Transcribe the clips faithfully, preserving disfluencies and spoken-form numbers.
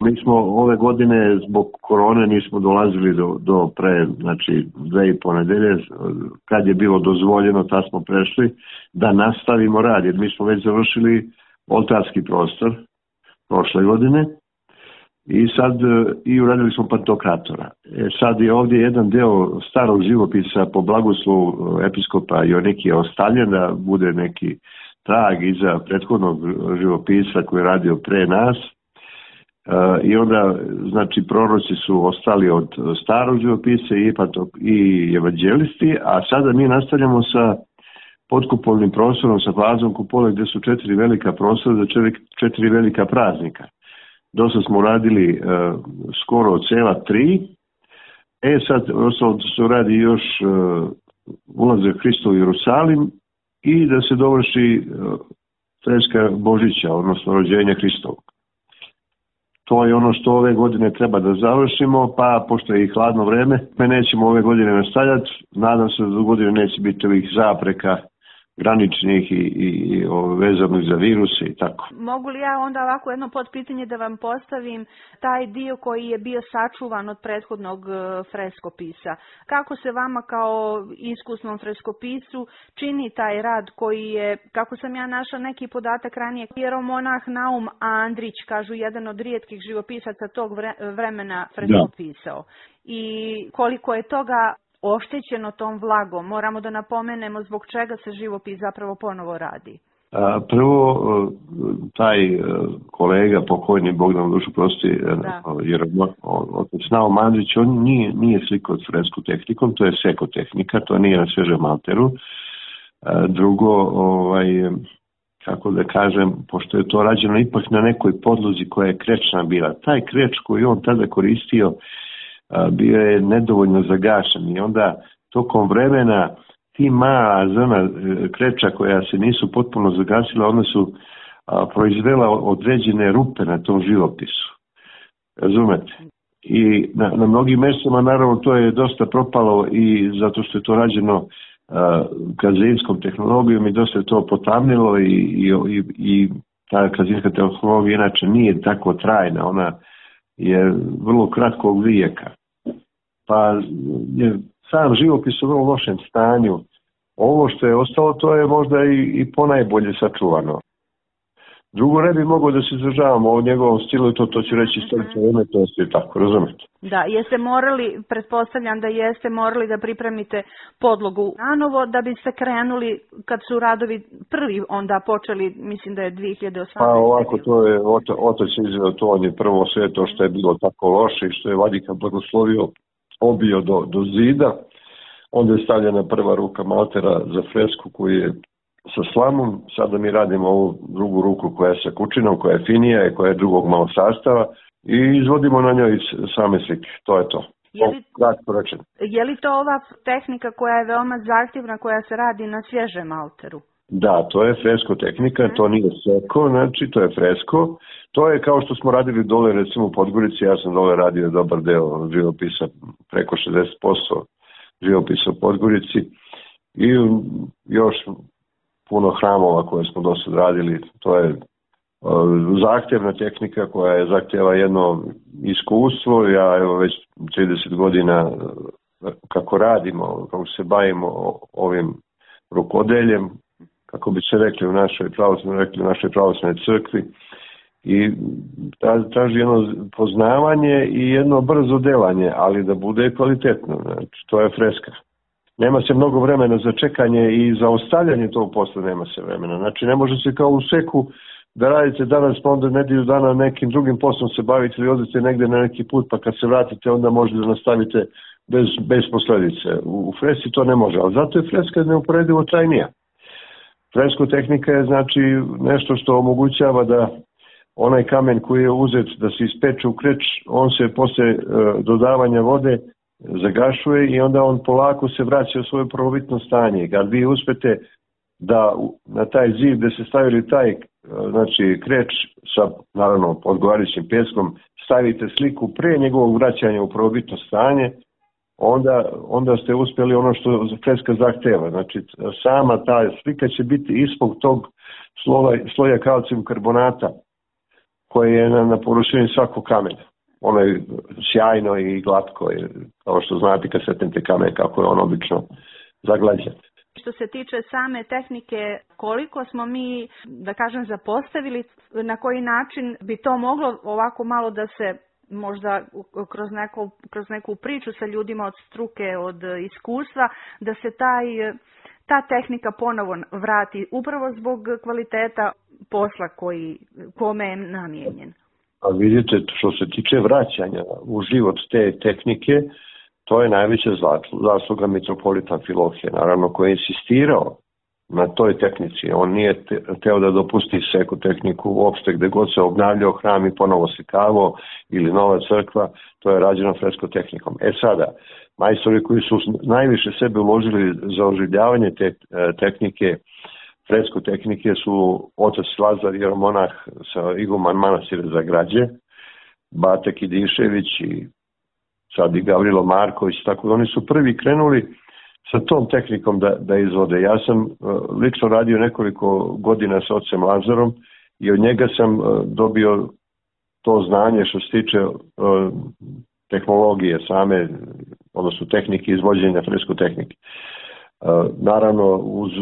Mi smo ove godine zbog korone nismo dolazili do, do pre, znači dve i po nedelje, kad je bilo dozvoljeno, tad smo prešli da nastavimo rad, jer mi smo već završili oltarski prostor prošle godine i sad i uradili smo pantokratora. E, sad je ovdje jedan deo starog živopisa po blagoslovu episkopa Joanikija ostavljen da bude neki trag iza prethodnog živopisa koji je radio pre nas. Uh, i onda, znači, proroci su ostali od starog živopisa i, i evanđelisti, a sada mi nastavljamo sa podkupovnim prostorom, sa fazom kupole gdje su četiri velika prostora za četiri, četiri velika praznika. Dosta smo radili uh, skoro cela tri, e sad ostalo se radi još uh, ulazak Hrista u Jerusalim i da se dovrši uh, freska Božića, odnosno rođenja Hristovog. To je ono što ove godine treba da završimo, pa pošto je i hladno vreme, me nećemo ove godine nastavljati. Nadam se da do godine neće biti ovih zapreka graničnih i, i, i vezanih za viruse i tako. Mogu li ja onda ovako jedno potpitanje da vam postavim, taj dio koji je bio sačuvan od prethodnog freskopisa? Kako se vama kao iskusnom freskopisu čini taj rad koji je, kako sam ja našla neki podatak ranije, hieromonah Naum Andrić, kažu jedan od rijetkih živopisaca tog vremena freskopisao. Da. I koliko je toga oštećeno tom vlagom, moramo da napomenemo zbog čega se živopis zapravo ponovo radi. Prvo, taj kolega, pokojni Bogdan dušu prosti, jer otac Naum Andrić, on nije, nije slikao fresku tehnikom, to je sekotehnika, to nije na svežem alteru. Drugo, ovaj, kako da kažem, pošto je to rađeno ipak na nekoj podlozi koja je krečna bila, taj kreč koji on tada koristio bio je nedovoljno zagašen i onda tokom vremena ti mala zrna kreča koja se nisu potpuno zagasila, one su a, proizvela određene rupe na tom živopisu. Razumete? I na, na mnogim mjestima naravno to je dosta propalo i zato što je to rađeno kazijskom tehnologijom i dosta je to potamnilo i, i, i, i ta kazijska tehnologija inače nije tako trajna, ona je vrlo kratkog vijeka. Pa je sam živopis u vrlo lošem stanju. Ovo što je ostalo, to je možda i, i ponajbolje sačuvano. Drugo, ne bi mogao da se izražavamo o njegovom stilu i to, to ću reći stolice umetnosti i tako, razumete? Da, jeste morali, pretpostavljam da jeste morali da pripremite podlogu nanovo da biste krenuli kad su radovi prvi onda počeli, mislim da je dvije hiljade osamnaeste. Pa ovako, to je, otac je izveo to, on je prvo sve to što je bilo tako loše i što je Vatikan blagoslovio obio do, do zida. Onda je stavljena prva ruka maltera za fresku koji je sa slamom. Sada mi radimo ovu drugu ruku koja je sa kučinom, koja je finija i koja je drugog malo sastava i izvodimo na njoj same slike. To je to. Je li, je li to ova tehnika koja je veoma zahtjevna, koja se radi na svježem malteru? Da, to je fresko tehnika, to nije seko, znači to je fresko. To je kao što smo radili dole, recimo u Podgorici, ja sam dole radio dobar deo živopisa, preko šezdeset posto živopisa u Podgorici i još puno hramova koje smo do sad radili. To je uh, zahtjevna tehnika koja je zahtjeva jedno iskustvo. Ja evo već trideset godina uh, kako radimo, kako se bavimo ovim rukodeljem, kako bi se rekli u našoj pravoslavnoj, rekli u našoj pravoslavnoj crkvi. I traži jedno poznavanje i jedno brzo delanje, ali da bude kvalitetno. Znači, to je freska. Nema se mnogo vremena za čekanje i za ostavljanje tog posla nema se vremena. Znači ne može se kao u seku da radite danas pa onda nedjelju dana nekim drugim poslom se bavite ili odete negdje na neki put pa kad se vratite onda možete da nastavite bez, bez posljedice. U, u fresi to ne može, ali zato je freska neuporedivo trajnija. Fresko tehnika je znači nešto što omogućava da onaj kamen koji je uzet da se ispeče u kreč, on se posle e, dodavanja vode zagašuje i onda on polako se vraća u svoje prvobitno stanje. Kad vi uspete da na taj zid gde se stavili taj znači kreč sa naravno odgovarajućim pjeskom stavite sliku pre njegovog vraćanja u prvobitno stanje, onda, onda ste uspjeli ono što freska zahteva. Znači sama ta slika će biti ispod tog sloja, sloja kalcijum karbonata koje je na, na površini svakog kamena. Ono je sjajno i glatko, je, kao što znate kad setnete kamen kako je on obično zaglađen. Što se tiče same tehnike, koliko smo mi, da kažem, zapostavili, na koji način bi to moglo ovako malo da se možda kroz neku, kroz neku priču sa ljudima od struke, od iskustva, da se taj, ta tehnika ponovo vrati upravo zbog kvaliteta posla koji, kome je namijenjen. A vidite, što se tiče vraćanja u život te tehnike, to je najveća zasluga mitropolita Amfilohije, naravno, koji je insistirao na toj tehnici. On nije teo da dopusti seku tehniku uopšte, gde god se obnavljao hram i ponovo sekavao ili nova crkva, to je rađeno fresko tehnikom. E sada, majstori koji su najviše sebe uložili za oživljavanje te tehnike, fresko tehnike, su otac Lazar Jeromonah sa iguman manastira za Građe, Bata Kidišević i sad i Gavrilo Marković, tako da oni su prvi krenuli sa tom tehnikom da, da izvode. Ja sam uh, lično radio nekoliko godina sa ocem Lazarom i od njega sam uh, dobio to znanje što se tiče uh, tehnologije same, odnosno tehnike izvođenja fresko tehnike. Uh, naravno, uz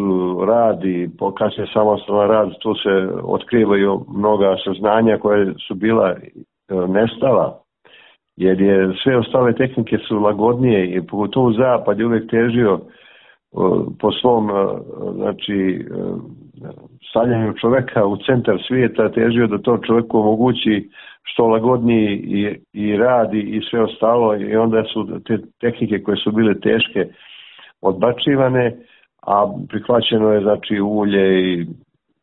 rad i kasnije samostalan rad, tu se otkrivaju mnoga saznanja koje su bila uh, nestala, jer je sve ostale tehnike su lagodnije i pogotovo zapad je uvijek težio uh, po svom uh, znači uh, stavljanju čoveka u centar svijeta, težio da to čovjeku omogući što lagodniji i, i radi i sve ostalo, i onda su te tehnike koje su bile teške odbačivane, a prihvaćeno je znači ulje i,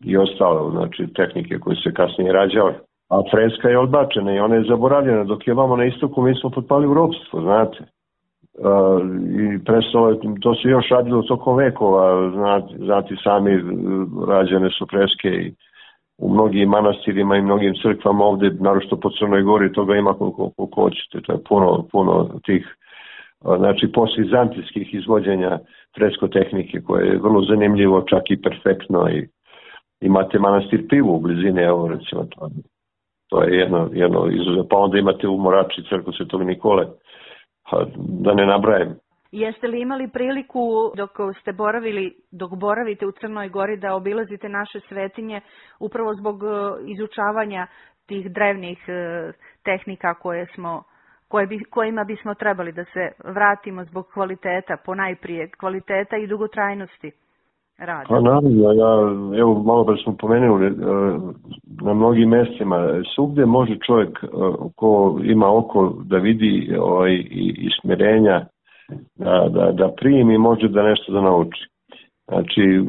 i ostalo, znači tehnike koje se kasnije rađale. A freska je odbačena i ona je zaboravljena, dok je vamo na istoku mi smo potpali u ropstvo, znate. Uh, I prestalo, to se još radilo tokom vekova, znate, znate sami, rađene su freske i u mnogim manastirima i mnogim crkvama ovdje, naročito po Crnoj Gori, toga ima koliko, koliko hoćete, to je puno, puno tih, uh, znači postvizantijskih izvođenja fresko tehnike, koje je vrlo zanimljivo, čak i perfektno, i imate manastir Pivu u blizini, evo recimo to. To je jedno, jedno izuzetno. Pa onda imate u Morači crkvu Svetog Nikole, da ne nabrajem. Jeste li imali priliku dok ste boravili, dok boravite u Crnoj Gori, da obilazite naše svetinje upravo zbog izučavanja tih drevnih tehnika koje smo, koje bi, kojima bismo trebali da se vratimo zbog kvaliteta, ponajprije kvaliteta i dugotrajnosti rada? Pa naravno, ja, evo malo pre smo pomenuli, na mnogim mjestima, svugdje može čovjek ko ima oko da vidi ovaj, i, i smirenja, da, da, da primi, može da nešto da nauči. Znači,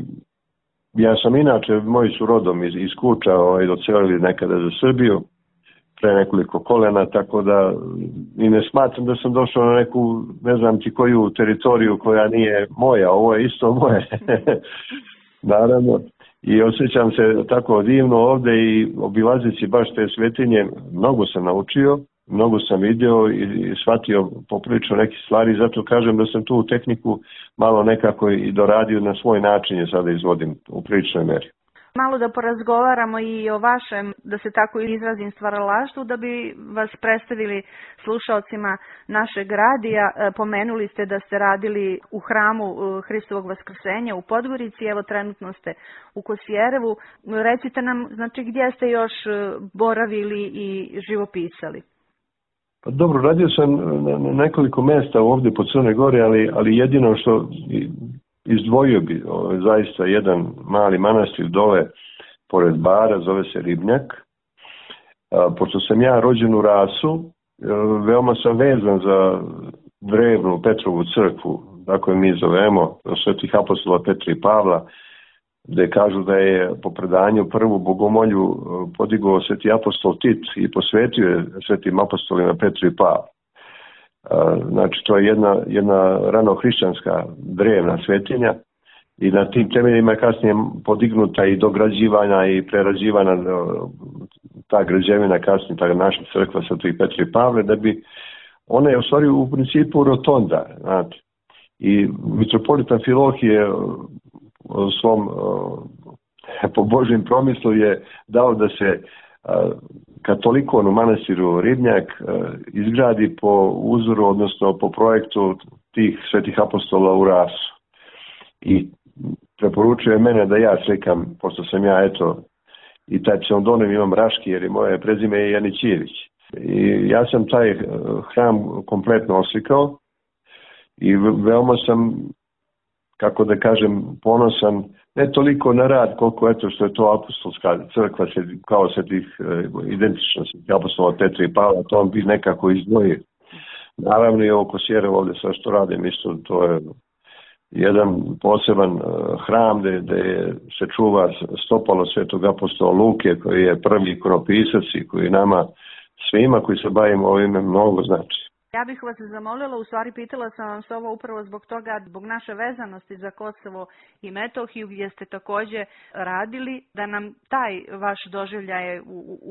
ja sam inače, moji su rodom iz, iz Kuča, ovaj, docelili nekada za Srbiju, pre nekoliko kolena, tako da i ne smatram da sam došao na neku, ne znam ti koju teritoriju koja nije moja, ovo je isto moje. Naravno, i osjećam se tako divno ovdje i obilazeći baš te svetinje, mnogo sam naučio, mnogo sam vidio i, i shvatio poprilično neke stvari, zato kažem da sam tu tehniku malo nekako i doradio na svoj način, je sada izvodim u priličnoj meri. Malo da porazgovaramo i o vašem, da se tako izrazim, stvaralaštvu, da bi vas predstavili slušalcima našeg radija. Pomenuli ste da ste radili u hramu Hristovog Vaskrsenja u Podgorici, evo trenutno ste u Kosjerevu. Recite nam, znači, gdje ste još boravili i živopisali? Pa dobro, radio sam na nekoliko mjesta ovdje po Crnoj Gori, ali, ali jedino što izdvojio bi o, zaista jedan mali manastir dole pored Bara, zove se Ribnjak. A, pošto sam ja rođen u Rasu, veoma sam vezan za drevnu Petrovu crkvu, tako je mi zovemo, svetih apostola Petra i Pavla, gde kažu da je po predanju prvu bogomolju podigao sveti apostol Tit i posvetio je svetim apostolima Petru i Pavlu. Znači, to je jedna, jedna ranohrišćanska drevna svetinja i na tim temeljima je kasnije podignuta i dograđivana i prerađivana ta građevina, kasnije ta naša crkva svetih Petra i Pavle, da bi ona je u stvari u principu rotonda, znate. I mitropolit Amfilohije u svom po Božjem promislu je dao da se katolikon u manastiru Ribnjak izgradi po uzoru, odnosno po projektu tih svetih apostola u Rasu. I preporučuje mene da ja slikam, pošto sam ja, eto, i taj pseudonим imam Raški, jer je moje prezime je Janićijević. I ja sam taj hram kompletno oslikao i veoma sam, kako da kažem, ponosan, ne toliko na rad, koliko eto što je to apostolska crkva, kao se tih identičnosti apostola Petra i Pavla, to on bi nekako izdvojio. Naravno i ovo Kosjerevo ovdje sve što radim, isto to je jedan poseban hram gde, gde se čuva stopalo svetog apostola Luke, koji je prvi ikonopisac i koji nama svima koji se bavimo ovime mnogo znači. Ja bih vas zamolila, u stvari pitala sam vam se ovo upravo zbog toga, zbog naše vezanosti za Kosovo i Metohiju, gdje ste također radili, da nam taj vaš doživljaj,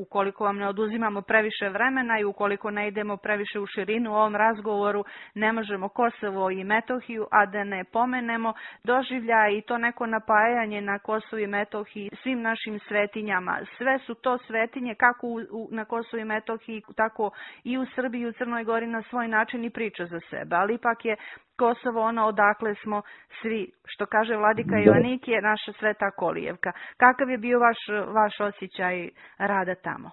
ukoliko vam ne oduzimamo previše vremena i ukoliko ne idemo previše u širinu u ovom razgovoru, ne možemo Kosovo i Metohiju, a da ne pomenemo doživljaj i to neko napajanje na Kosovu i Metohiji svim našim svetinjama. Sve su to svetinje kako u, u, na Kosovu i Metohiji, tako i u Srbiji i u Crnoj Gori na svoj način i priča za sebe, ali ipak je Kosovo ono odakle smo svi, što kaže vladika Joanik, je naša sveta kolijevka. Kakav je bio vaš, vaš osjećaj rada tamo?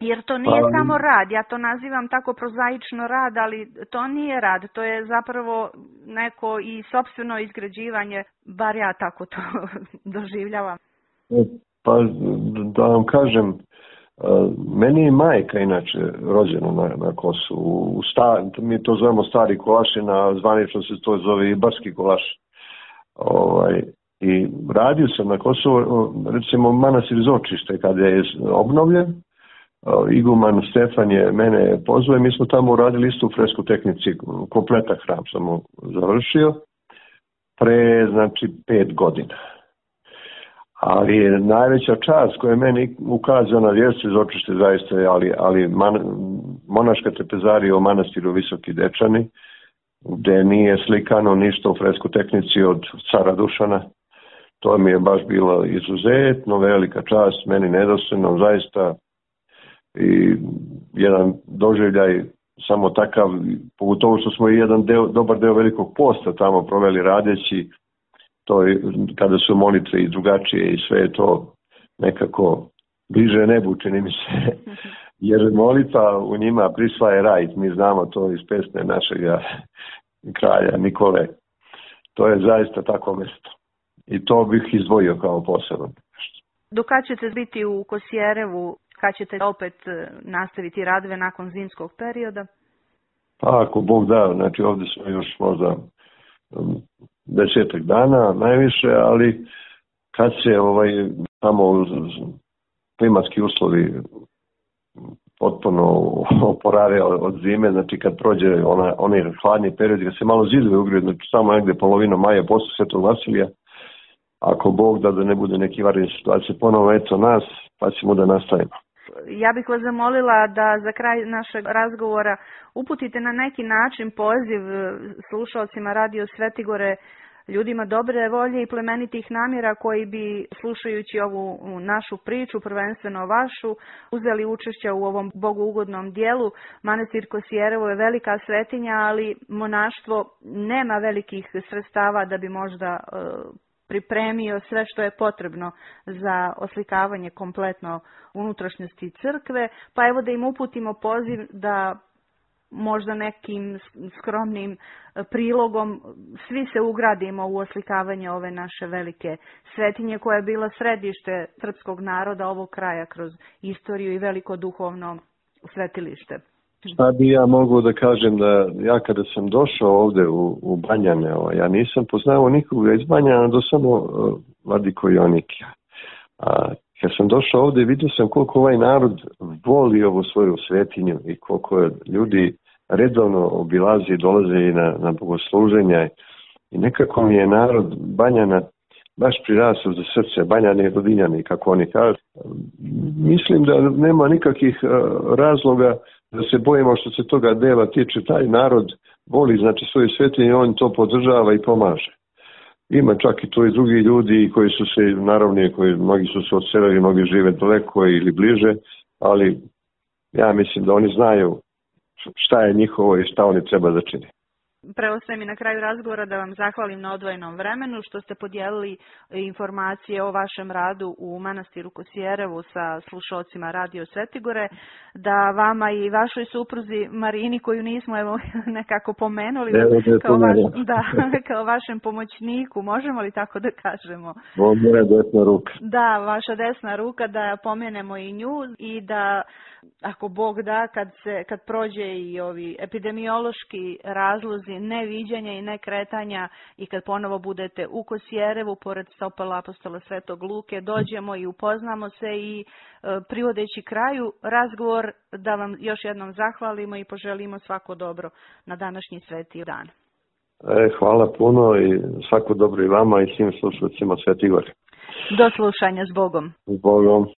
Jer to nije pa, samo rad, ja to nazivam tako prozaično rad, ali to nije rad, to je zapravo neko i sopstveno izgrađivanje, bar ja tako to doživljavam. Pa da vam kažem, meni je majka inače rođena na, na Kosovu, u sta, mi to zovemo stari kolaši, na zvanično se to zove i barski kolaš. Ovaj, I radio sam na Kosovu, recimo manastir Zočište kada je obnovljen, iguman Stefan je mene pozvao i mi smo tamo uradili istu fresku tehnici, kompletan hram sam završio, pre znači pet godina. Ali je najveća čast koja je meni ukazana vjerci Zočište zaista, ali, ali man, monaška trpezarija u manastiru Visoki Dečani, gde nije slikano ništa u fresku tehnici od cara Dušana. To mi je baš bilo izuzetno velika čast, meni nedostojno zaista i jedan doživljaj samo takav, pogotovo što smo i jedan deo, dobar deo velikog posta tamo proveli radeći, to je, kada su molitve i drugačije i sve to nekako bliže nebu, čini mi se, jer molitva u njima prisvaja raj, mi znamo to iz pesme našeg kralja Nikole, to je zaista tako mjesto i to bih izdvojio kao poseban. Do kad ćete biti u Kosjerevu, kad ćete opet nastaviti radove nakon zimskog perioda? Pa ako Bog da, znači ovdje smo još možda desetak dana najviše, ali kad se ovaj tamo klimatski uslovi potpuno oporave od zime, znači kad prođe ona, onaj hladni period, kad se malo zidovi ugriju, znači samo negdje polovina maja posle Svetog Vasilija, ako Bog da da ne bude neki varijant situacije, ponovo eto nas, pa ćemo da nastavimo. Ja bih vas zamolila da za kraj našeg razgovora uputite na neki način poziv slušalcima Radio Svetigore, ljudima dobre volje i plemenitih namjera koji bi, slušajući ovu našu priču, prvenstveno vašu, uzeli učešće u ovom bogougodnom dijelu. Manastir Kosjerevo je velika svetinja, ali monaštvo nema velikih sredstava da bi možda pripremio sve što je potrebno za oslikavanje kompletno unutrašnjosti crkve, pa evo da im uputimo poziv da možda nekim skromnim prilogom svi se ugradimo u oslikavanje ove naše velike svetinje koja je bila središte srpskog naroda ovog kraja kroz istoriju i veliko duhovno svetilište. Šta bi ja mogu da kažem da ja kada sam došao ovde u, u Banjane, ja nisam poznao nikoga iz Banjana do samo uh, Vladiko Joanikija. A kad sam došao ovde vidio sam koliko ovaj narod voli ovu svoju svetinju i koliko ljudi redovno obilazi i dolaze i na, na bogosluženja i nekako mi je narod Banjana baš prirasao za srce, Banjani i Rodinjani, kako oni kažu. Mislim da nema nikakvih uh, razloga da se bojimo što se toga dela tiče, taj narod voli znači svoju svetinju i on to podržava i pomaže. Ima čak i tu i drugi ljudi koji su se, naravno, koji mnogi su se odselili, mnogi žive daleko ili bliže, ali ja mislim da oni znaju šta je njihovo i šta oni treba da čini. Preostaje mi na kraju razgovora da vam zahvalim na odvojenom vremenu što ste podijelili informacije o vašem radu u manastiru Kosjerevu sa slušalcima Radio Svetigore, da vama i vašoj supruzi Marini, koju nismo evo nekako pomenuli, Evo da kao, vaš, da, kao vašem pomoćniku, možemo li tako da kažemo? Moja desna ruka. Da, vaša desna ruka, da pomenemo i nju i da ako Bog da, kad, se, kad prođe i ovi epidemiološki razlozi neviđanja i nekretanja i kad ponovo budete u Kosjerevu, pored stopala apostola Svetog Luke, dođemo i upoznamo se i e, privodeći kraju razgovor da vam još jednom zahvalimo i poželimo svako dobro na današnji sveti dan. E, hvala puno i svako dobro i vama i svim slušalcima Sveti Gori. Do slušanja, s Bogom. S Bogom.